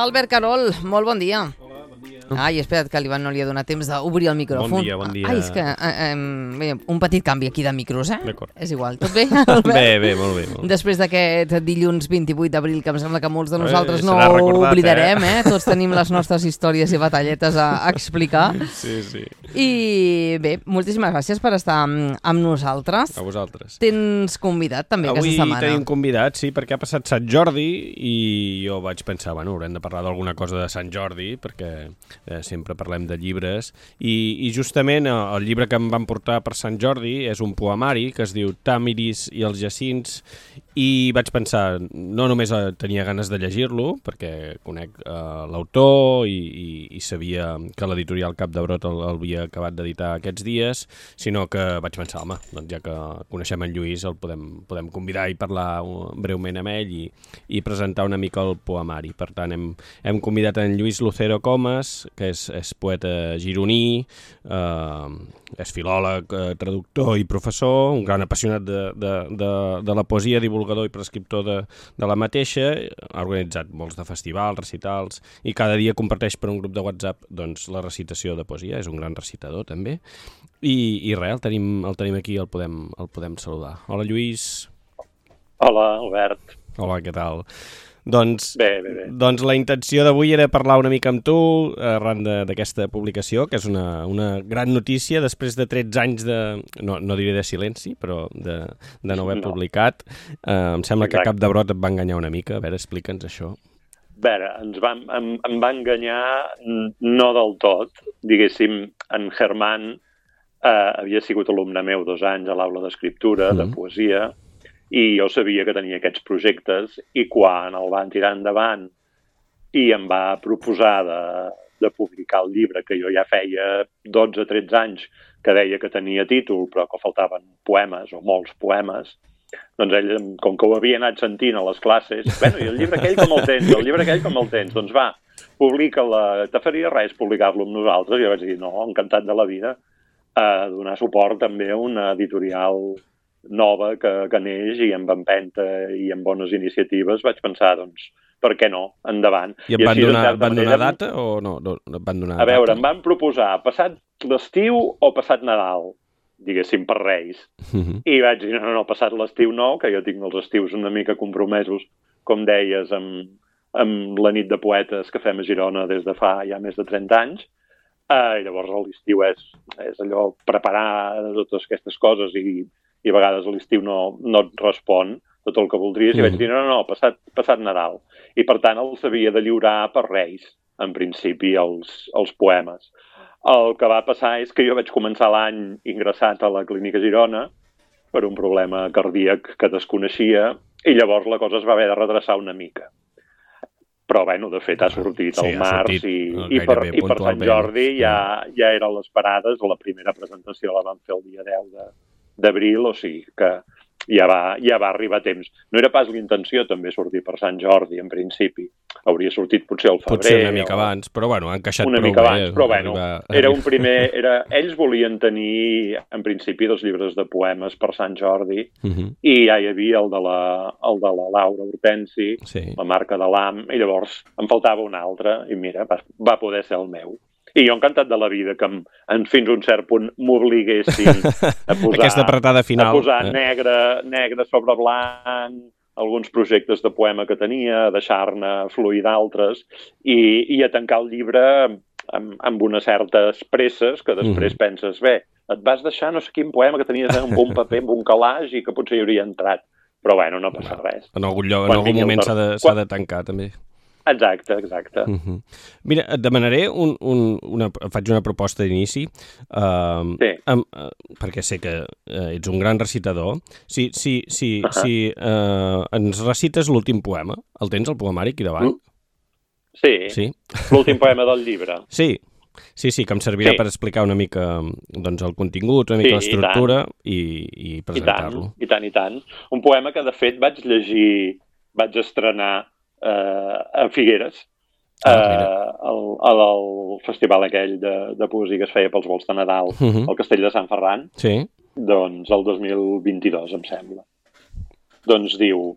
Albert Carol, molt bon dia. Hola, bon dia. Ai, espera't, que l'Ivan no li ha donat temps d'obrir el micròfon. Bon dia, bon dia. Ai, és que bé, un petit canvi aquí de micros, D'acord. És igual. Tot bé, Albert? Bé, molt bé. Després d'aquest dilluns 28 d'abril, que em sembla que molts de nosaltres no serà recordat, oblidarem, Tots tenim les nostres històries i batalletes a explicar. Sí. I bé, moltíssimes gràcies per estar amb nosaltres. A vosaltres. Tens convidat també aquesta setmana. Avui tenim convidat, sí, perquè ha passat Sant Jordi i jo vaig pensar, bueno, haurem de parlar d'alguna cosa de Sant Jordi, perquè sempre parlem de llibres, i justament el llibre que em van portar per Sant Jordi és un poemari que es diu Tàmiris i els jacints, i vaig pensar, no només tenia ganes de llegir-lo, perquè conec l'autor i sabia que l'editorial Cap de Brot l'havia acabat d'editar aquests dies, sinó que vaig pensar, home, doncs ja que coneixem en Lluís el podem convidar i parlar breument amb ell i presentar una mica el poemari. Per tant, hem convidat en Lluís Lucero Comas, que és poeta gironí, és filòleg, traductor i professor, un gran apassionat de la poesia, divulgador i prescriptor de la mateixa, ha organitzat molts de festivals, recitals, i cada dia comparteix per un grup de WhatsApp doncs, la recitació de poesia, és un gran recitador també, i res, el tenim aquí, el podem saludar. Hola, Lluís. Hola, Albert. Hola, què tal? Doncs, bé. Doncs la intenció d'avui era parlar una mica amb tu arran d'aquesta publicació, que és una gran notícia després de 13 anys no diré de silenci, però de no haver publicat. Em sembla que Cap de Brot et va enganyar una mica. A veure, explica'ns això. A veure, em va enganyar no del tot. Diguéssim, en Germán havia sigut alumne meu 2 anys a l'aula d'escriptura, de poesia, i jo sabia que tenia aquests projectes, i quan el van tirar endavant i em va proposar de publicar el llibre, que jo ja feia 12-13 anys que deia que tenia títol, però que faltaven poemes, o molts poemes, doncs ell, com que ho havia anat sentint a les classes, bueno, i el llibre aquell com el tens? El llibre aquell com el tens? Doncs va, publica-la, te faria res publicar-lo amb nosaltres? I jo vaig dir, no, encantat de la vida, donar suport també a una editorial nova que neix i amb empenta i amb bones iniciatives, vaig pensar, doncs, per què no? Endavant. I em van donar data o no? Van donar a veure, em van proposar passat l'estiu o passat Nadal, diguéssim, per Reis. I vaig dir, no, passat l'estiu no, que jo tinc els estius una mica compromesos, com deies, amb la nit de poetes que fem a Girona des de fa ja més de 30 anys. I llavors l'estiu és allò, preparar totes aquestes coses i a vegades a l'estiu no et respon tot el que voldries, i vaig dir, no, passat Nadal. I per tant els havia de lliurar per Reis, en principi, els poemes. El que va passar és que jo vaig començar l'any ingressat a la Clínica Girona per un problema cardíac que desconeixia, i llavors la cosa es va haver de redreçar una mica. Però, bueno, de fet ha sortit al març i per Sant Jordi ja eren les parades, la primera presentació la vam fer el dia 10 d'abril, o sigui que ja va arribar a temps. No era pas l'intenció també sortir per Sant Jordi, en principi. Hauria sortit potser al febrer. Potser una mica abans, però bueno, han encaixat prou bé. Una mica abans, però bueno, era un primer... Ells volien tenir, en principi, 2 llibres de poemes per Sant Jordi, i ja hi havia el de la Laura Hortensi, la marca de l'AM, i llavors em faltava un altre, i mira, va poder ser el meu. I jo encantat de la vida que fins a un cert punt m'obliguessin a posar negre sobre blanc, alguns projectes de poema que tenia, a deixar-ne fluir d'altres i a tancar el llibre amb unes certes presses que després penses, bé, et vas deixar no sé quin poema que tenies en un paper, en un calaix i que potser hi hauria entrat. Però bueno, no passa res. En algun moment s'ha de tancar també. Exacte. Mira, et demanaré faig una proposta d'inici, perquè sé que ets un gran recitador. Si ens recites l'últim poema, el tens, el poemari, aquí davant? Sí, l'últim poema del llibre. Sí, que em servirà per explicar una mica doncs, el contingut, una mica l'estructura i presentar-lo. I tant. Un poema que, de fet, vaig estrenar a Figueres, al festival aquell de poesia que es feia pels volts de Nadal al Castell de Sant Ferran, doncs el 2022, em sembla. Doncs diu: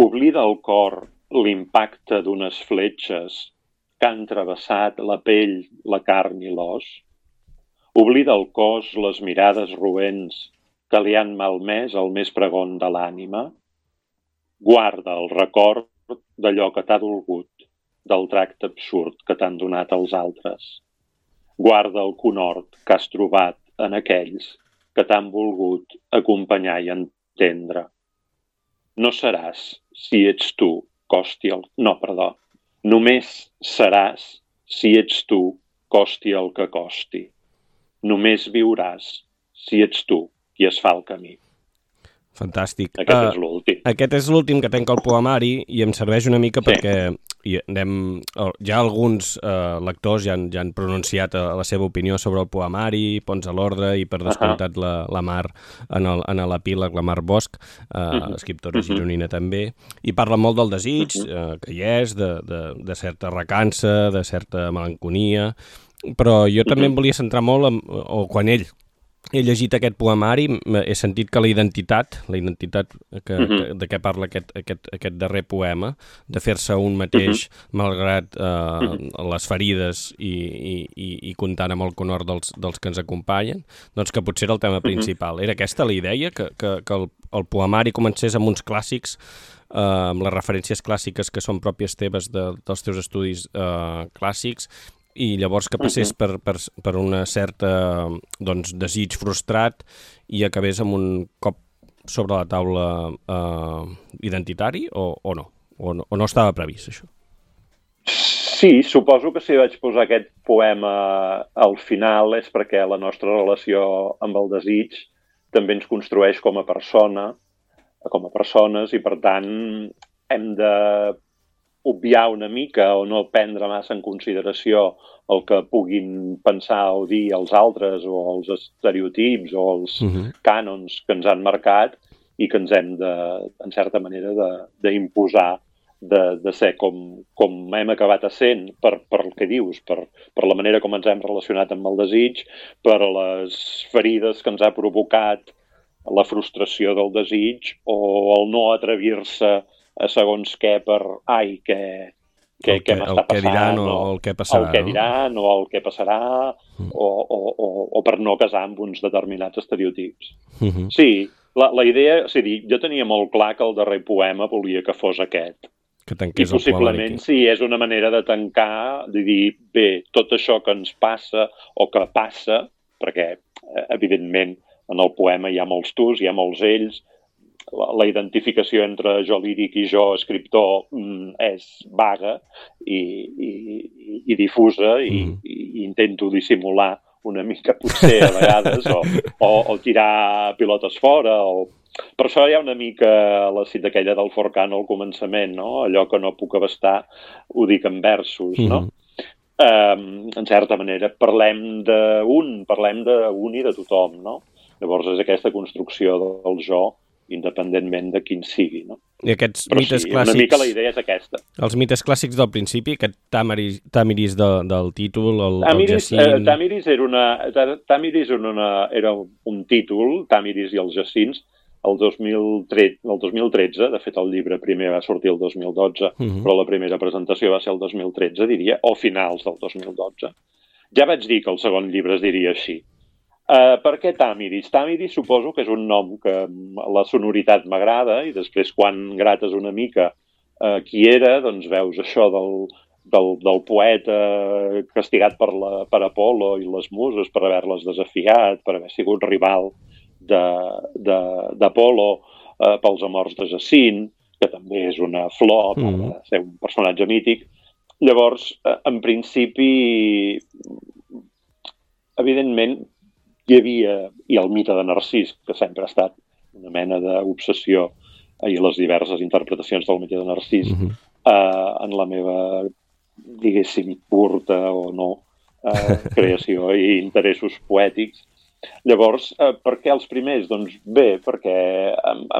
oblida el cor l'impacte d'unes fletxes que han travessat la pell, la carn i l'os. Oblida el cos les mirades roents que li han malmès el més pregon de l'ànima. Guarda el record d'allò que t'ha dolgut, del tracte absurd que t'han donat els altres. Guarda el conhort que has trobat en aquells que t'han volgut acompanyar i entendre. No seràs, si ets tu, costi el... No, perdó. Només seràs, si ets tu, costi el que costi. Només viuràs, si ets tu, qui es fa el camí. Fantàstic. Aquest és l'últim. Aquest és l'últim que tenc al poemari i em serveix una mica perquè ja alguns lectors ja han pronunciat la seva opinió sobre el poemari, Ponts a l'ordre i per descomptat la Mar en l'epíleg, la Mar Bosch, escriptora gironina també, i parla molt del desig, que hi és, de certa recança, de certa melanconia, però jo també em volia centrar molt quan he llegit aquest poemari, he sentit que la identitat de què parla aquest darrer poema, de fer-se un mateix malgrat les ferides i comptant amb el conhort dels que ens acompanyen, doncs que potser era el tema principal. Era aquesta la idea, que el poemari comencés amb uns clàssics, amb les referències clàssiques que són pròpies teves dels teus estudis clàssics, i llavors que passés per una certa desig frustrat i acabés amb un cop sobre la taula identitari o no? O no estava previst, això? Sí, suposo que si vaig posar aquest poema al final és perquè la nostra relació amb el desig també ens construeix com a persones i, per tant, hem de obviar una mica o no prendre massa en consideració el que puguin pensar o dir els altres o els estereotips o els cànons que ens han marcat i que ens hem en certa manera, d'imposar de ser com hem acabat essent per el que dius, per la manera com ens hem relacionat amb el desig, per les ferides que ens ha provocat la frustració del desig o el no atrevir-se a segons què per què m'està passant, el que diran o el que passarà, el que diran o el que passarà o per no casar amb uns determinats estereotips. Sí, la idea, és a dir, jo tenia molt clar que el darrer poema volia que fos aquest. Que tanqués i possiblement sí, és una manera de tancar, de dir, bé, tot això que ens passa o que passa, perquè evidentment en el poema hi ha molts tus, hi ha molts ells, la identificació entre jo líric i jo escriptor és vaga i difusa i intento dissimular una mica potser a vegades o tirar pilotes fora per això hi ha una mica la cita aquella del Forcano al començament, no? Allò que no puc abastar ho dic en versos, no? En certa manera parlem d'un i de tothom, no? Llavors és aquesta construcció del jo independentment de quin sigui, no? I aquests però mites sí, clàssics... una mica la idea és aquesta. Els mites clàssics del principi, aquest Tamiris del títol, el Jacint... Tamiris era un títol, Tamiris i els Jacints, el 2013, de fet el llibre primer va sortir el 2012, però la primera presentació va ser el 2013, diria, o finals del 2012. Ja vaig dir que el segon llibre es diria així. Per què Tamiris? Tamiris suposo que és un nom que la sonoritat m'agrada i després quan grates una mica qui era, doncs veus això del poeta castigat per Apol·lo i les muses per haver-les desafiat, per haver sigut rival d'Apol·lo pels amors de Jacint, que també és una flor per ser un personatge mític. Llavors, en principi, evidentment, hi havia, i el mite de Narcís, que sempre ha estat una mena d'obsessió i les diverses interpretacions del mite de Narcís en la meva, diguéssim, curta o no creació i interessos poètics. Llavors, per què els primers? Doncs bé, perquè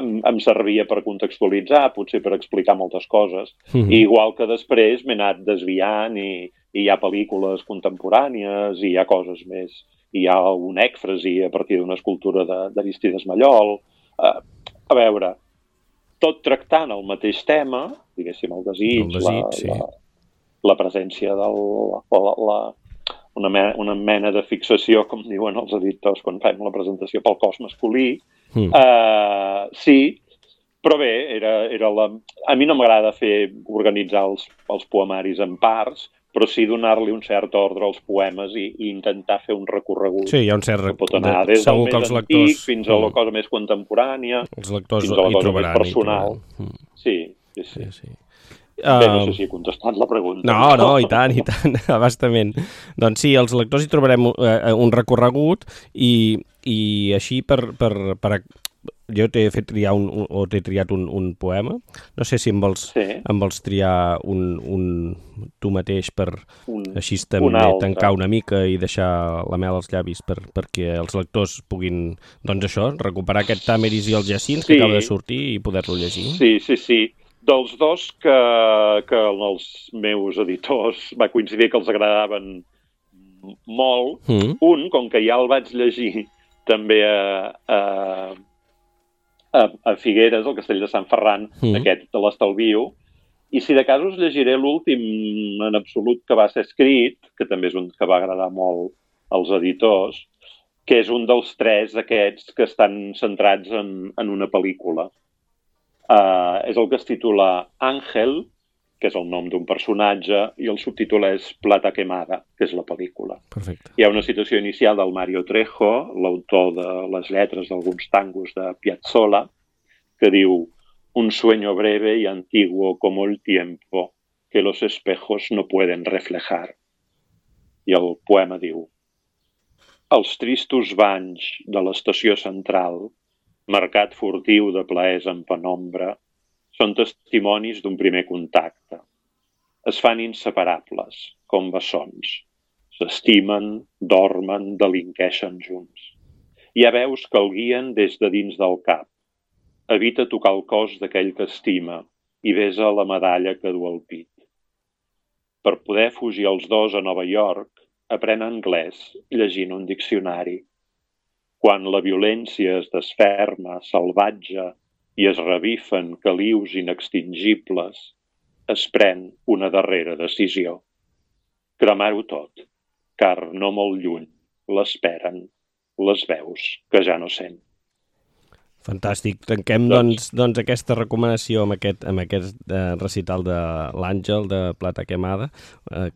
em servia per contextualitzar, potser per explicar moltes coses, i igual que després m'he anat desviant i hi ha pel·lícules contemporànies, i hi ha coses més, hi ha un ècfrasi a partir d'una escultura d'Aristides Mallol. A veure, tot tractant el mateix tema diguéssim, el desig, sí. la presència una mena de fixació, com diuen els editors quan fem la presentació, pel cos masculí. Sí, però bé, a mi no m'agrada organitzar els poemaris en parts, però sí donar-li un cert ordre als poemes i intentar fer un recorregut. Sí, hi ha un cert que pot anar des del més antic fins a la cosa més contemporània, els lectors fins a la cosa més personal. Sí. Bé, no sé si he contestat la pregunta. No, i tant, abastament. Doncs sí, els lectors hi trobarem un recorregut i així jo t'he fet triar t'he triat un poema. No sé si em vols triar tu mateix per així també tancar una mica i deixar la mel als llavis perquè els lectors puguin, doncs això, recuperar aquest Tàmeris i els Jacins que acaba de sortir i poder-lo llegir. Sí. Dels dos que els meus editors va coincidir que els agradaven molt, un, com que ja el vaig llegir també a Figueres, al Castell de Sant Ferran, aquest te l'estalvio, i si de cas us llegiré l'últim en absolut que va ser escrit, que també és un que va agradar molt als editors, que és un dels 3 aquests que estan centrats en una pel·lícula. És el que es titula Ángel, que és el nom d'un personatge, i el subtítol és Plata quemada, que és la pel·lícula. Perfecte. Hi ha una citació inicial del Mario Trejo, l'autor de les lletres d'alguns tangos de Piazzolla, que diu: un sueño breve y antiguo como el tiempo que los espejos no pueden reflejar. I el poema diu: els tristos banys de l'estació central, mercat furtiu de plaers en penombra, són testimonis d'un primer contacte. Es fan inseparables, com bessons. S'estimen, dormen, delinqueixen junts. Hi ha veus que el guien des de dins del cap. Evita tocar el cos d'aquell que estima i besa la medalla que du al pit. Per poder fugir els dos a Nova York, aprèn anglès llegint un diccionari. Quan la violència es desferma, salvatge, i es revifen calius inextingibles, es pren una darrera decisió. Cremar-ho tot, car no molt lluny l'esperen les veus que ja no sent. Fantàstic. Tanquem doncs aquesta recomanació amb aquest recital de l'Àngel de Plata quemada,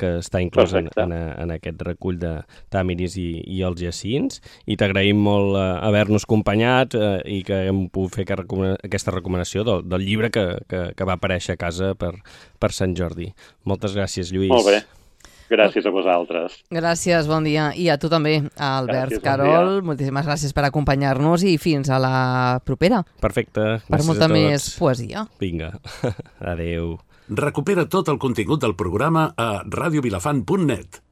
que està inclòs en aquest recull de Tàmeris i els Jacins, i t'agraïm molt haver-nos acompanyat i que hem pogut fer aquesta recomanació del llibre que va aparèixer a casa per Sant Jordi. Moltes gràcies, Lluís. Molt bé. Gràcies a vosaltres. Gràcies, bon dia. I a tu també, Albert. Gràcies, Carol, moltíssimes gràcies per acompanyar-nos i fins a la propera. Perfecte. Per molta més poesia. Vinga, adeu. Recupera tot el contingut del programa a radiovilafant.net.